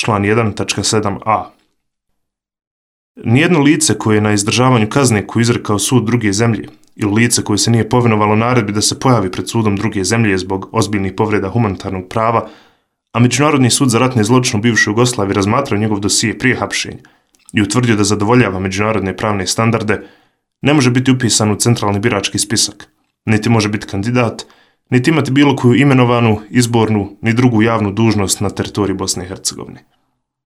član 1.7a. Nijedno lice koje je na izdržavanju kazne koju izrekao sud druge zemlje ili lice koje se nije povinovalo naredbi da se pojavi pred sudom druge zemlje zbog ozbiljnih povreda humanitarnog prava, a Međunarodni sud za ratne zločine u bivšoj Jugoslaviji razmatrao njegov dosije prije hapšenja i utvrdio da zadovoljava međunarodne pravne standarde, ne može biti upisan u centralni birački spisak, niti može biti kandidat, niti imati bilo koju imenovanu, izbornu, ni drugu javnu dužnost na teritoriji Bosne i Hercegovine.